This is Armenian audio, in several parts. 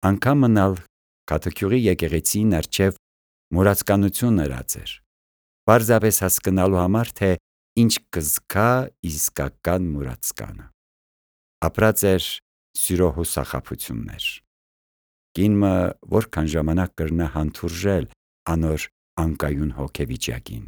Անգամ մնալ կաթոքյուղի եկեղեցին առջև մուրացկանություն ըրած էր, պարզապես հասկնալու համար, թե ինչ կզգա իսկական մուրացկանը։ Ապրած էր սիրո հուսախաբություններ։ Կինը որքան ժամանակ կրնա հանդուրժել անոր անկայուն հոգեվիճակին։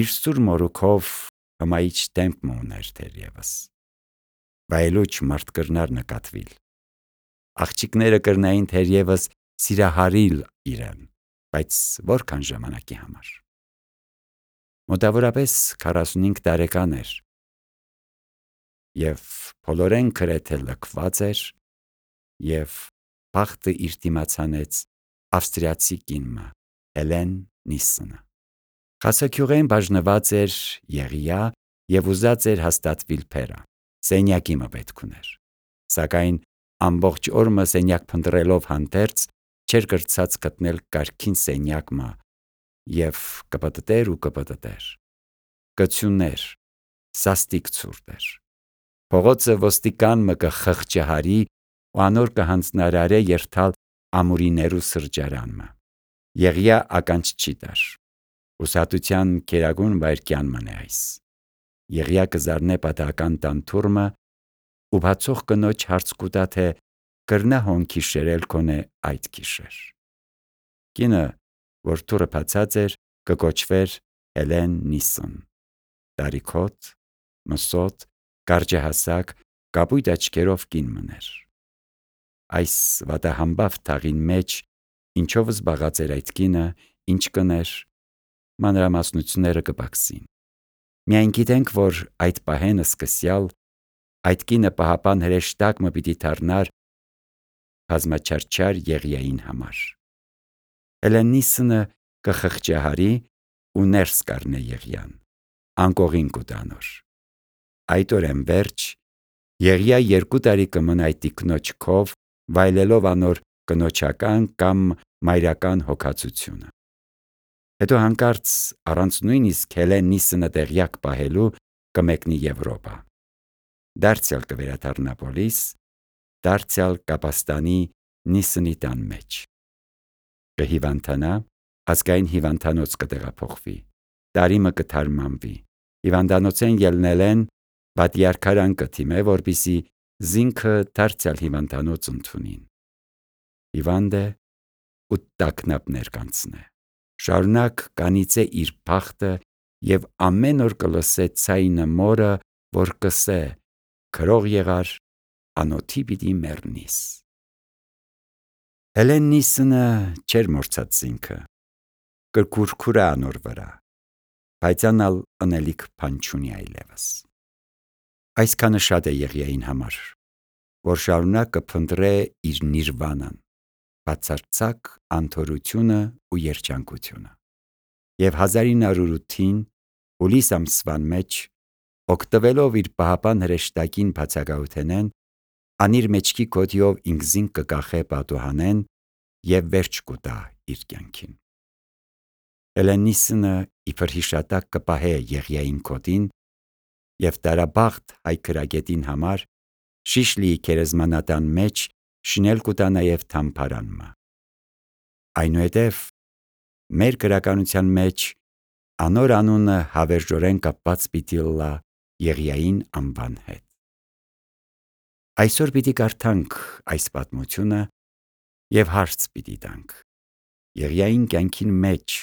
Իր սուր մորուքով հմայիչ դեմք ուներ թերևս, վայելուչ մարդ կրնար նկատվիլ։ Աղջիկները կրնային թերևս սիրահարիլ իրեն, բայց որքան ժամանակի համար։ Մոտավորապես 45 տարեկան էր և բոլորեն գրեթե լքված էր և բախտը իր դիմաց հանեց ավստրիացի կինը Հելեն Նիսսենը։ Խասաքյուղեն բաժնված էր Եղիա և ուզած էր հաստատվիլ փերը, սենյակի պետք ուներ, սակայն ամբողջ օրը սենյակ փնտրելով հանդերձ չէր կրցած գտնել կարգին սենյակ և կպտտեր, կծյուներ, սաստիկ ցուրտ էր։ Փողոցը ոստիկան կխղճահարի ու անոր կհանձնարարե երթալ ամուրիներու սրճարանը։ Եղիա ականջ չի տար։ Ուսատության գերագույն վայրկյան մնե այս։ Եղիա կզարնե պատահական տան թուրմը ու բացող կնոջ հարց կուտա, թե կրնա հոնքի շերել կոնե այդ գիշեր։ Կինը, որ թուրը բացած էր, կկոչվեր Հելեն Նիսսեն, տարիքոտ, մսոտ, կարճահասակ, կապույտ աչքերով կին մներ։ Այս վատահամբավ թաղին մեջ ինչով զբաղած էր այդ կինը, ինչ կներ, մանրամասնությունները կպակսին։ Միայն գիտենք, որ այդ պահեն սկսյալ այդ կինը պահապան հրեշտակ պիտի դառնար բազմաչարչար Եղիային համար։ Հելեն Նիսսենը կխղճահարի ու ներս կառնե Եղիան, անկողին կուտանոր։ Այդ օրեն վերջ Եղիա 2 տարի կմնա այդ տիկնոջ քով, վայելելով անոր կնոջական կամ մայրական հոգացությունը։ Հետո հանկարծ առանց նույնիսկ Հելեն Նիսսենը տեղյակ պահելու կմեկնի Եվրոպա։ Դարձյալ կվերադառնա Պոլիս, դարձյալ կապաստանի Նիսսենի տան մեջ։ Կհիվանդանա, ազգային հիվանդանոց կտեղափոխվի, տարիմը կթարմանվի, հիվանդանոցեն ելնելեն պատիարքարան կթիմե, որպիսի զինքը դարձյալ հիվանդանոց ընդունին։ Հիվանդ է ու տագնապներ կանցնե։ Շարունակ կանիծե իր բախտը և ամեն օր կլսե ձայնը մորը, որ կսե. «Քրող եղար, անոթի պիտի մեռնիս»։ Հելեն Նիսսենը չէր մոռացած զինքը, կրկուրքուրա անոր վրա, բայց անալ ընելիք բան չունի այլևս։ Այսքանը շատ է Եղիային համար, որ շարունակ կփնտրե իր նիրվանան, բացարձակ անթորությունը ու երջանկությունը։ Եվ 1908 հուլիս ամսվան մեջ, օգտվելով իր պահապան հրեշտակին բացակայութենեն, անիր մեջքի կոթիով ինքզին կկախե պատուհանեն և վերջ կուտա իր կյանքին։ Հելեն Նիսսենը իբր հիշատակ կպահե Եղիային կոթին և տարաբախտ հայ քրագետին համար Շիշլիի գերեզմանատան մեջ շինել կուտա նաև թամբարանը։ Այնուհետև մեր գրականության մեջ անոր անունը հավերժորեն կապված պիտի լա Եղիային անվան հետ։ Այսօր պիտի կարդանք այս պատմությունը և հարց պիտի տանք. Եղիային կյանքին մեջ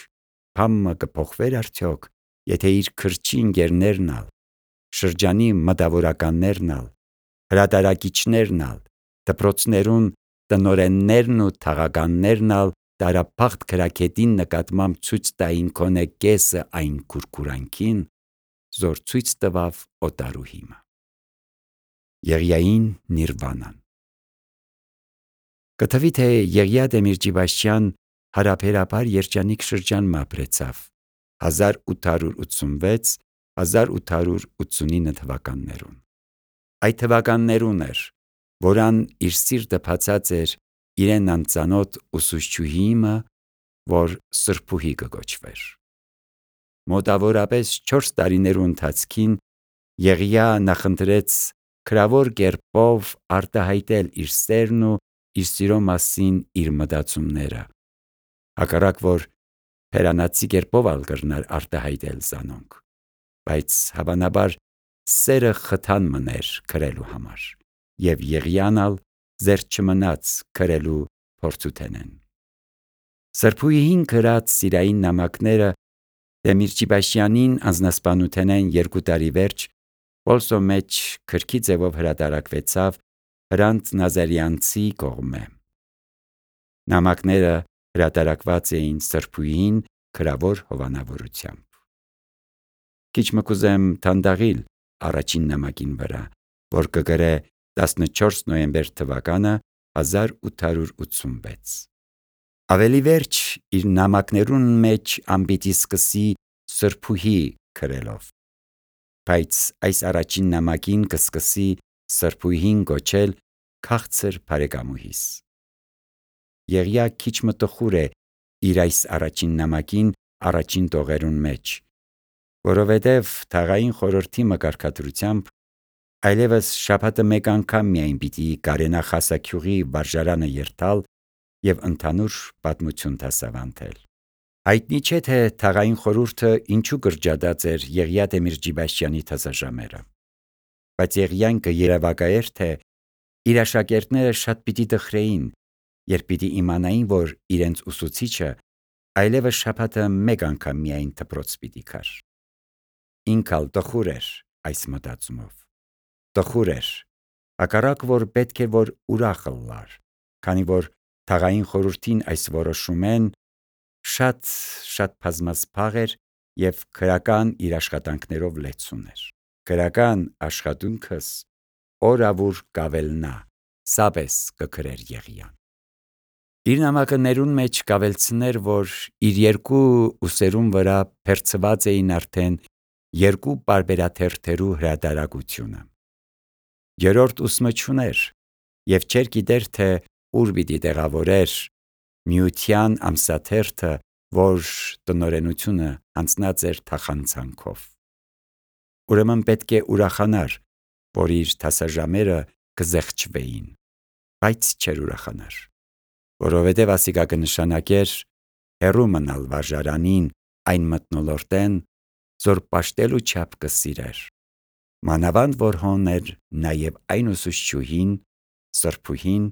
բամը կփոխվեր արդյոք, եթե իր քրչի ընկերներն ալ, շրջանի մտավորականներն ալ, հրատարակիչներն ալ, դպրոցներուն տնօրեններն ու թաղականներն ալ տարաբախտ քրագետին նկատմամբ ցույց տային քոնե կեսը այն քուրքուրանքին, զոր ցույց տվավ օտարուհիմը։ Եղիային նիրվանան։ Կթվի, թե Եղիա Դեմիրճիբաշյան հարաբերաբար երջանիկ շրջան ապրեցավ 1886-1889 թվականներուն։ Այդ թվականներուն էր, որան իր սիրտը բացած էր իրեն անծանոթ ուսուցչուհիմը, որ Սրբուհի կկոչվեր։ Մոտավորապես 4 տարիներու ընթացքին Եղիա նախընտրեց քրավոր կերպով արտահայտել իր սերն ու իր սիրո մասին իր մտածումները, հակառակ որ հերանացի կերպով ալ կրնար արտահայտել զանոնք, բայց հավանաբար սերը խթան մներ քրելու համար, եւ Եղիան զերծ չմնաց քրելու փորձութենեն։ Սրբուհին գրած սիրային նամակները Դեմիրճիբաշյանին անձնասպանութենեն 2 տարի վերջ Պոլսո մեջ քրքի ձևով հրատարակվեցավ Հրանտ Նազարյանցի կողմէ։ Նամակները հրատարակված էին սրբուհին քրավոր հովանավորությամբ։ Քիչ մը կուզեմ թանդաղիլ առաջին նամակին վրա, որ կգրե 14 նոյեմբեր թվականը 1886։ Ավելի վերջ իր նամակներուն մեջ անպիտի սկսի սրբուհի քրելով, բայց այս առաջին նամակին կսկսի սրբուհին գոչել քաղցր բարեկամուհիս։ Եղիա քիչ մը տխուր է իր այս առաջին նամակին առաջին տողերուն մեջ, որովհետև թաղային խորհրդի մկարգադրությամբ այլևս շաբաթը մեկ անգամ միայն պիտի կարենա խասաքյուղի վարժարանը երթալ եւ ընդհանուր պատմություն դասավանդել։ Հայտնի չէ թե թաղային խորհուրդը ինչու կրճատած էր Եղիա Դեմիրճիբաշյանի թասաժամերը, բայց Եղիան կերևակայեր, թե իր աշակերտները շատ պիտի տխրեին, երբ պիտի իմանային, որ իրենց ուսուցիչը այլևս շաբաթը մեկ անգամ միայն դպրոց պիտի գար։ Ինքալ տխուր էր այս մտածումով։ Տխուր էր, հակառակ որ պետք է որ ուրախ լար, քանի որ թաղային խորհրդին այս որոշումեն շատ բազմասփաղ էր եւ քրական իր աշխատանքներով լեցուն էր։ Քրական աշխատունքս օրավուր կավելնա, սաբես կգրեր Եղիան։ Իր նամակներուն մեջ կավելցներ, որ իր 2 ուսերուն վրա փերծված էին արդեն 2 պարբերաթերթերու հրատարակությունը։ 3-րդ ուսմը չուներ եւ չէր գիտեր, թե ուր պիտի տեղավորեր Միության ամսաթերթը, որ տնօրենությունը հանձնած էր թախանցանքով։ Ուրեմն պետք է ուրախանար, որ իր դասաժամերը կզեղչվեին, բայց չէր ուրախանար, որովհետև ասիկա կնշանակեր հեռու մնալ վարժարանին այն մթնոլորտեն, զոր պաշտելու չափ կսիրեր, մանավանդ որ հոն էր նաև այն ուսուցչուհին, սրբուհին,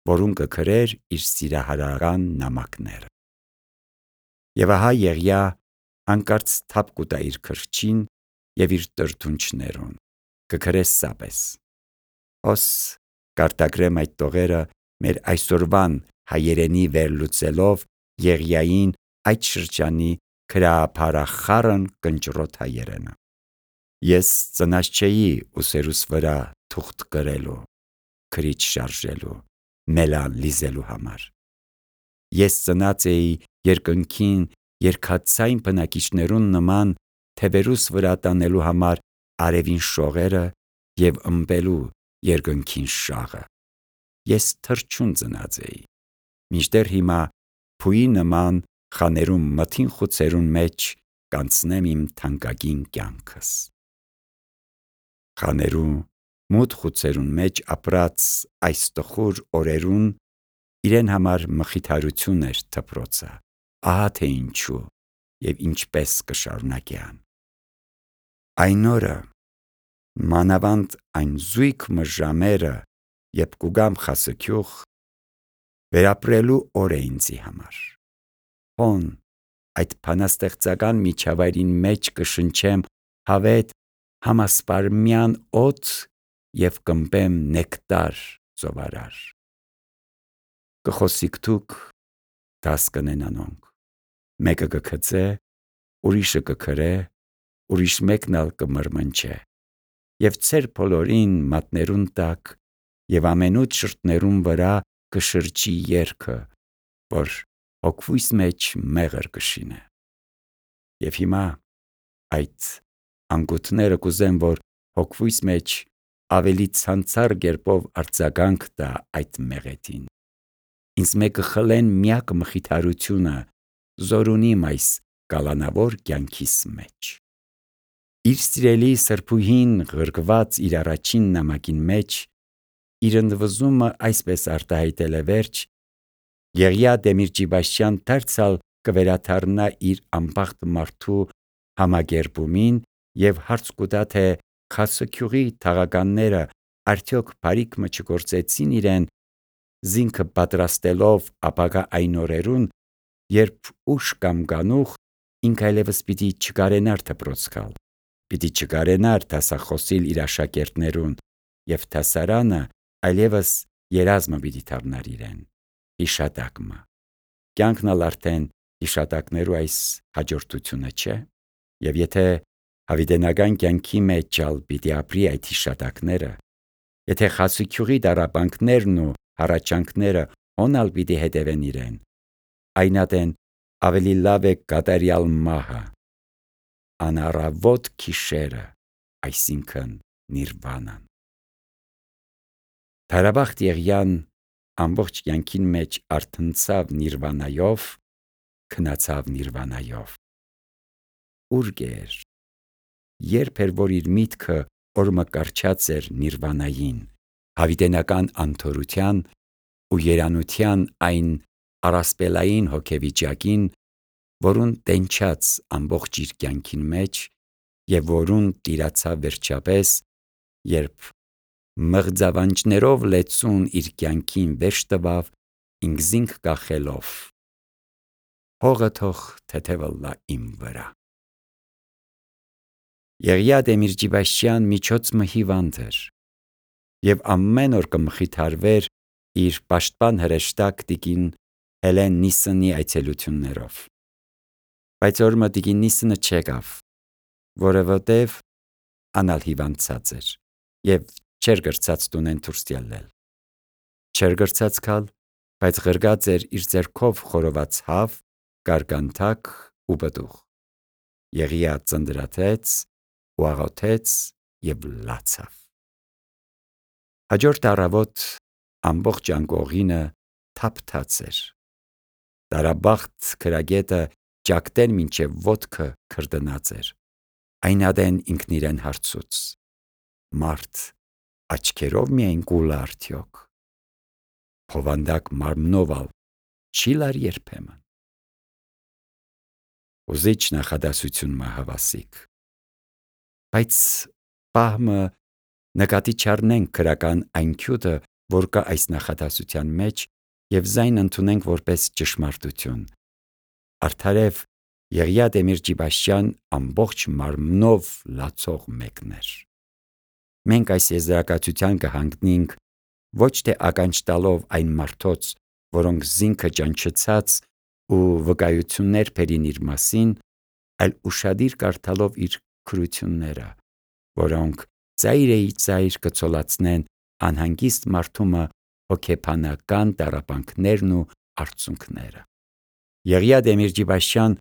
որուն կգրեր իր սիրահարական նամակները։ Եվ ահա Եղիա հանկարծ թափ կուտա իր քրչին եւ իր տրդունչներուն, կգրե սաբես։ Ոս կարտագրեմ այդ տողերը մեր այսօրվան հայերենի վերլուծելով Եղիային այդ շրջանի քրափարախառն կնճռոտ հայերենը։ Ես ծնած չէի ուսերուս վրա թուղթ գրելու, քրիչ շարժելու, մելան լիզելու համար։ Ես ծնած էի երկնքին երկաթծայն բնակիչներուն նման թևերուս վրա տանելու համար արևին շողերը եւ ըմբելու երկնքին շաղը։ Ես թռչուն ծնած էի, մինչդեռ հիմա փուի նման խաներում մթին խուցերուն մեջ կանցնեմ իմ թանկագին կյանքս։ Խաներու մութ խուցերուն մեջ ապրած այս տխուր օրերուն իրեն համար մխիթարություն էր դպրոցը, ահա թե ինչու եւ ինչպես կշարունակեան։ Այն օրը, մանավանդ այն զույգ ժամերը, երբ կուգամ խասաքյուղ, վերապրելու օր է ինձի համար։ Հոն այդ բանաստեղծական միջավայրին մեջ կշնչեմ հավետ համասպարմյան օդ եւ կմպեմ նեկտար ծովարար։ Կխոսիկ դուք, դաս կնենանոնք, մեկը կգծե, ուրիշը կգրե, ուրիշ մեկն ալ կմրմնջե, եւ ծեր բոլորին մատներուն տակ եւ ամենուց շրթներուն վրա կշրջի երգը, որ հոգվույս մեջ մեղր կշինե։ Եվ հիմա այդ անգութները կուզեմ, որ հոգվույս մեջ ավելի ցանցար կերպով արձագանք տա այդ մեղեթին։ Ինձ մեկը խլեն միակ մխիթարությունը զորունիմ այս կալանավոր կյանքիս մեջ։ Իր սիրելի սրբուհին ղրկված իր առաջին նամակին մեջ իր ընդվզումը այսպես արտահայտել է վերջ. Եղիա Դեմիրճիբաշյան դարձյալ կվերաթարնա իր անբախտ մարդու համագերբումին և հարց կուտա, թե Խասեքյուղի թաղականները արդյոք բարիք չգործեցին իրեն զինքը պատրաստելով ապագա այն օրերուն, երբ ուշ կամ գանուխ ինք այլևս պիտի չկարենար դպրոց գալ, պիտի չկարենար դասախոսիլ իր աշակերտներուն և դասարանը այլևս երազմը պիտի դառնար իրեն, հիշատակը։ Կյանքն ալ արդեն հիշատակներու այս հաջորդությունը չէ, և եթե հավիտենական կյանքի մեջ ալ պիտի ապրի այդ հիշատակները, եթե Խասեքյուղի տառապանքներն ու հառաչանքները հոնալ պիտի հետևեն իրեն, այնադեն ավելի լավ է կատարյալ մահը, անառավոտ գիշերը, այսինքն նիրվանան։ Թարաբախտ Եղիան ամբողջ կյանքին մեջ արթնցավ նիրվանայով, քնացավ նիրվանայով։ Ուր գեր, երբ էր որ իր միտքը օրմկարչած էր նիրվանային, հավիտենական անթորության ու երանության այն առասպելային հոգեվիճակին, որուն տենչաց ամբողջ իր կյանքին մեջ և որուն տիրացավ վերջապես, երբ մղձավանջներով լեցուն իր կյանքին վերջ տվավ ինքզինք կախելով. հողը թող թեթևը իմ վրա։ Եղիա Դեմիրճիբաշյան միջոցը հիվանդ էր և ամեն օր կմխիթարվեր իր պաշտպան հրեշտակ տիկին Հելեն Նիսսոնի այցելություններով։ Բայց օրը տիկին Նիսսոնը չեկավ, որովհետև անալ հիվանդացած էր և չէր գրծած տունեն դուրս ելնել։ Չէր գրծած գալ, բայց ղրգած էր իր ձեռքով խորոված հավ, գարգանթակ ու պտուղ։ Եղիա ծնդրատեց ու աղոթեց և լացավ։ Հաջորդ առավոտ ամբողջ անկողինը թափթաց էր։ Տարաբախտ քրագետը ճակտեն մինչև ոտքը քրդնած էր։ Այնադեն ինքն իրեն հարցուց. մարդ աչքերով միայն կուլա արդյոք, հովանդակ մարմնով ալ չի լար երբեմն։ Ուզիչ նախադասություն հավասիկ, բայց պահմը նկատի չառնենք քրական այն քյութը, որ կա այս նախադասության մեջ և զայն ընդունենք որպես ճշմարտություն։ Արդարև Եղիա Դեմիրճիբաշյան ամբողջ մարմնով լացող մեկն էր։ Մենք այս եզրակացության կհանգնենք ոչ թե ականջ տալով այն մարդոց, որոնք զինքը ճանչցած ու վկայություններ բերին իր մասին, այլ ուշադիր կարդալով իր քրությունները, որոնք ծայրիծայր կցոլացնեն անհանգիստ մարդումը հոգեբանական տառապանքներն ու արցունքները։ Եղիա Դեմիրճիբաշյան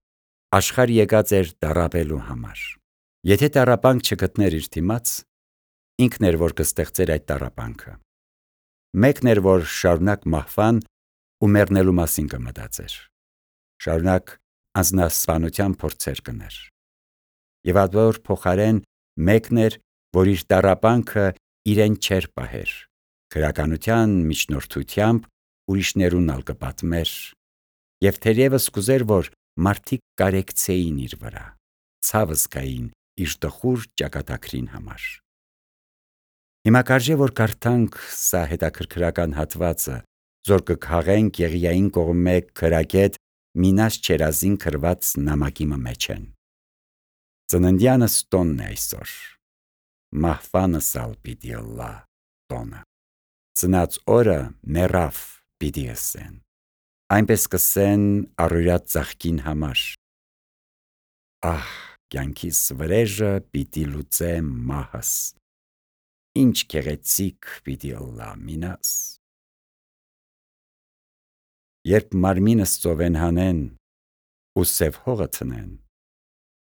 աշխարհ եկած էր տառապելու համար։ Եթե տառապանք չգտներ իր դիմաց, ինքն էր որ կստեղծեր այդ տառապանքը։ Մեկն էր որ շարունակ մահվան ու մեռնելու մասին կմտածեր, շարունակ անձնասպանության փորձեր կներ։ Եվ այլ փոխարեն մեկն էր, որ իր տառապանքը իրեն չէր պահեր, քրականության միջնորդությամբ ուրիշներուն ալ կպատմեր և թերևս կուզեր, որ մարդիկ կարեկցեին իր վրա, ցավ զգային իր տխուր ճակատագրին համար։ Հիմա կարժե որ կարդանք սա հետաքրքրական հատվածը, զոր կքաղենք Եղիային կողմէ քրագետ Մինաս Չերազին գրված նամակի մեջեն։ Ծննդյանս տոնն է այսօր, մահվանս ալ պիտի ըլլա տոնը։ Ծնած օրը մեռավ պիտի ըսեն, այնպես կսեն առօրյա ծաղկին համար։ Ահ, կյանքիս վրեժը պիտի լուծե մահս, ինչ գեղեցիկ պիտի ըլլա Մինաս։ Երբ մարմինս ծովեն հանեն ու սև հողը ցնեն,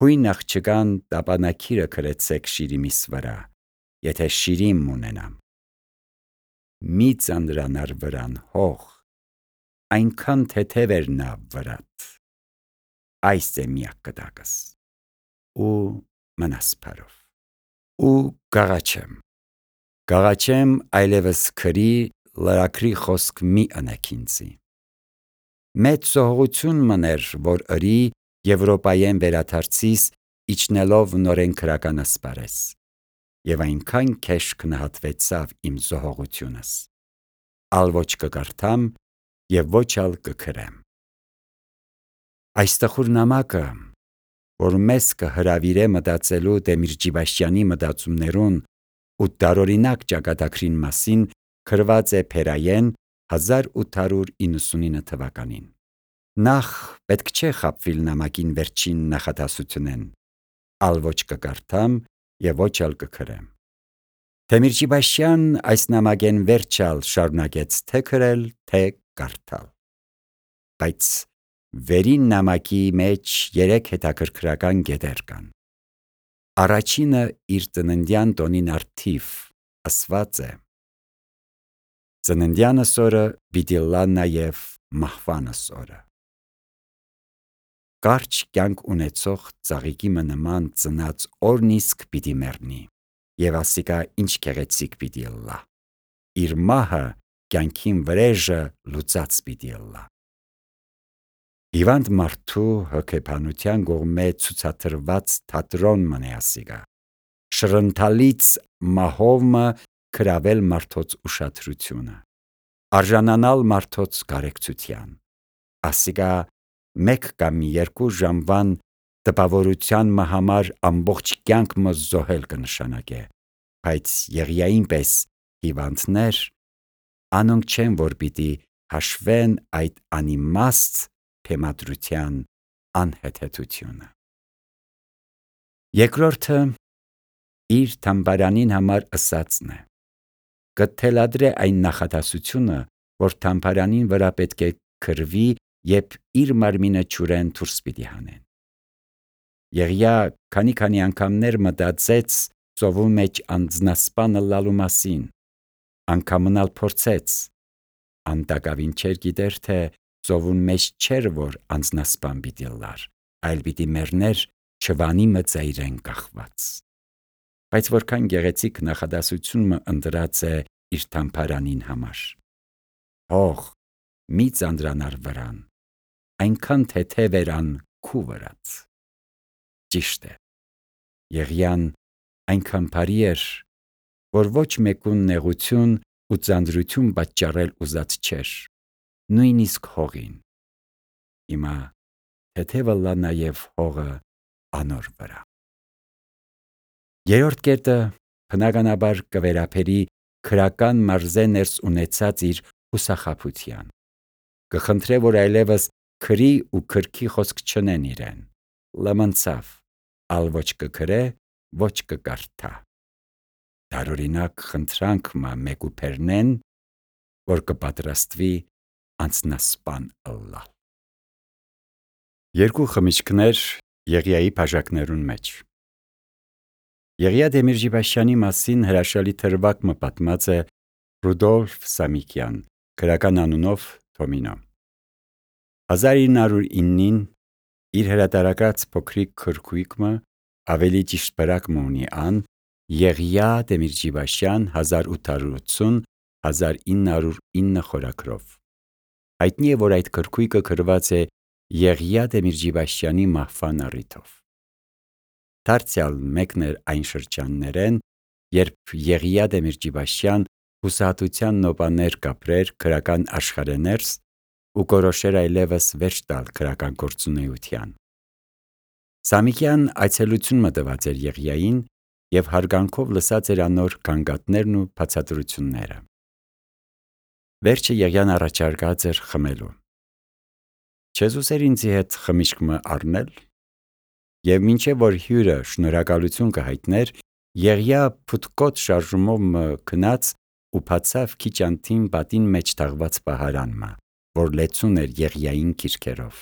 հույն աղջկան տապանակիրը քրեցեք շիրիմիս վրա, եթե շիրիմ ունենամ։ Մի ծանրանար վրան հող, այնքան թեթև էր նա վրատ, այս է միակ կտակս։ Ու մնասպարով։ Ու գաղաչեմ այլևս քրի լրակրի խոսք մի ընեք ինձի։ Մեծ զոհողություն մներ, որ ըրի Եվրոպայեն վերադարձիս իջնելով նորեն քրական ասպարես, եւ այնքան քեշ կնահատվեցավ իմ զոհողությունս, ալ ոչ կկարդամ եւ ոչ ալ կքրեմ։ Այս տխուր նամակը, որ մեզ կհրավիրե մտածելու Դեմիր Ջիբաշյանի մտածումներուն ու տարօրինակ ճակատագրին մասին, գրված է Փերայեն 1899 թվականին։ Նախ պետք չէ խաբվել նամակին վերջին նախադասությունեն, ալ ոչ կկարդամ եւ ոչ ալ կքրեմ։ Դեմիր Ջիբաշյան այս նամակեն վերջալ շարունակեց թե քրել, թե կարդալ։ Բայց վերին նամակի մեջ 3 հետաքրքրական կետեր կան։ Առաջինը իր ծննդյան տոնին առթիվ ասված է. ծննդյանս օրը պիտի լա նաև մահվանս օրը։ Կարճ կյանք ունեցող ծաղիկի նման ծնած օրն իսկ պիտի մեռնի, եւ ասիկա ինչ գեղեցիկ պիտի լա։ Իր մահը կյանքին վրեժը լուծած պիտի լա։ Հիվանդ մարդու հոգեբանության կողմէ ցուցադրված թատրոն մնե ասիկա։ Շրընթալից մահովը գրավել մարդոց ուշադրությունը, արժանանալ մարդոց կարեկցության։ Ասիկա 1 կամ 2 ժամվան տպավորության համար ամբողջ կյանք մը զոհել կնշանակե, բայց Եղիային պես հիվանդներ անոնք չեն, որ պիտի հաշվեն այդ անիմաստ թեմադրության անհեթեթությունը։ Երկրորդը իր թամբարանին համար ըսածն է։ Կթելադրե այն նախադասությունը, որ թամբարանին վրա պետք է քրվի, երբ իր մարմինը ճուրեն դուրս պիտի հանեն։ Եղիա քանի անգամներ մտածեց ծովու մեջ անձնասպանը լալու մասին, անգամնալ փորձեց, անտակավին չեր գիտեր, թե ծովուն մեջ չէր, որ անձնասպան պիտի լար, այլ պիտի մեռներ չվանի մծայրեն կախված։ Բայց որքան գեղեցիկ նախադասությունը ընտրած է իր թամբարանին համար։ Հող մի ծանրանար վրան, այնքան թեթև էր քու վրաց։ Ճիշտ է, Եղիան այնքան բարի էր, որ ոչ մեկուն նեղություն ու ծանրություն պատճառել ուզած չէր, նույնիսկ հողին։ Հիմա թեթևը լա նաև հողը անոր վրա։ Երրորդ կետը բնականաբար կվերապերի քրական մարզե ներս ունեցած իր հուսախաբության։ Կխնդրե, որ այլևս քրի ու քրքի խոսք չնեն իրեն։ Լմնցավ, ալ ոչ կքրե, ոչ կկարդա։ Տարօրինակ խնդրանք մա մեկուփերնեն, որ կպատրաստվի անձնասպան ըլլալ։ 2 խմիչքներ Եղիայի բաժակներուն մեջ։ Եղիա Դեմիր Ջիբաշյանի մասին հրաշալի թրվակ պատմած է Ռուդոլֆ Սամիկյան, գրական անունով Թոմինո։ 1909-ին իր հրատարակած փոքրիկ քրքույկը ավելի ճիշտ բրակը ունի ան Եղիա Դեմիր Ջիբաշյան 1880-1909 խորագրով։ Հայտնի է, որ այդ քրքույկը գրված է Եղիա Դեմիր Ջիբաշյանի մահվան առիթով։ Դարձյալ մեկն էր այն շրջաններեն, երբ Եղիա Դեմիր Ջիբաշյան հուսահատության նոպաներ կապրեր քրական աշխարհեներս ու կորոշեր այլևս վերջ տալ քրական գործունեության։ Սամիկյան այցելություն մտված էր Եղիային եւ հարգանքով լսած էր անոր գանգատներն ու բացատրությունները։ Վերջը Եղիան առաջարկած էր խմելու։ Չես ուզեր ինձի հետ խմիչքը առնել։ Եվ մինչև որ հյուրը շնորհակալություն կհայտներ, Եղիա փութկոտ շարժումով գնաց ու բացավ քիչ անթին պատին մեջ թաղված պահարանը, որ լեցուն էր Եղիային քիրքերով։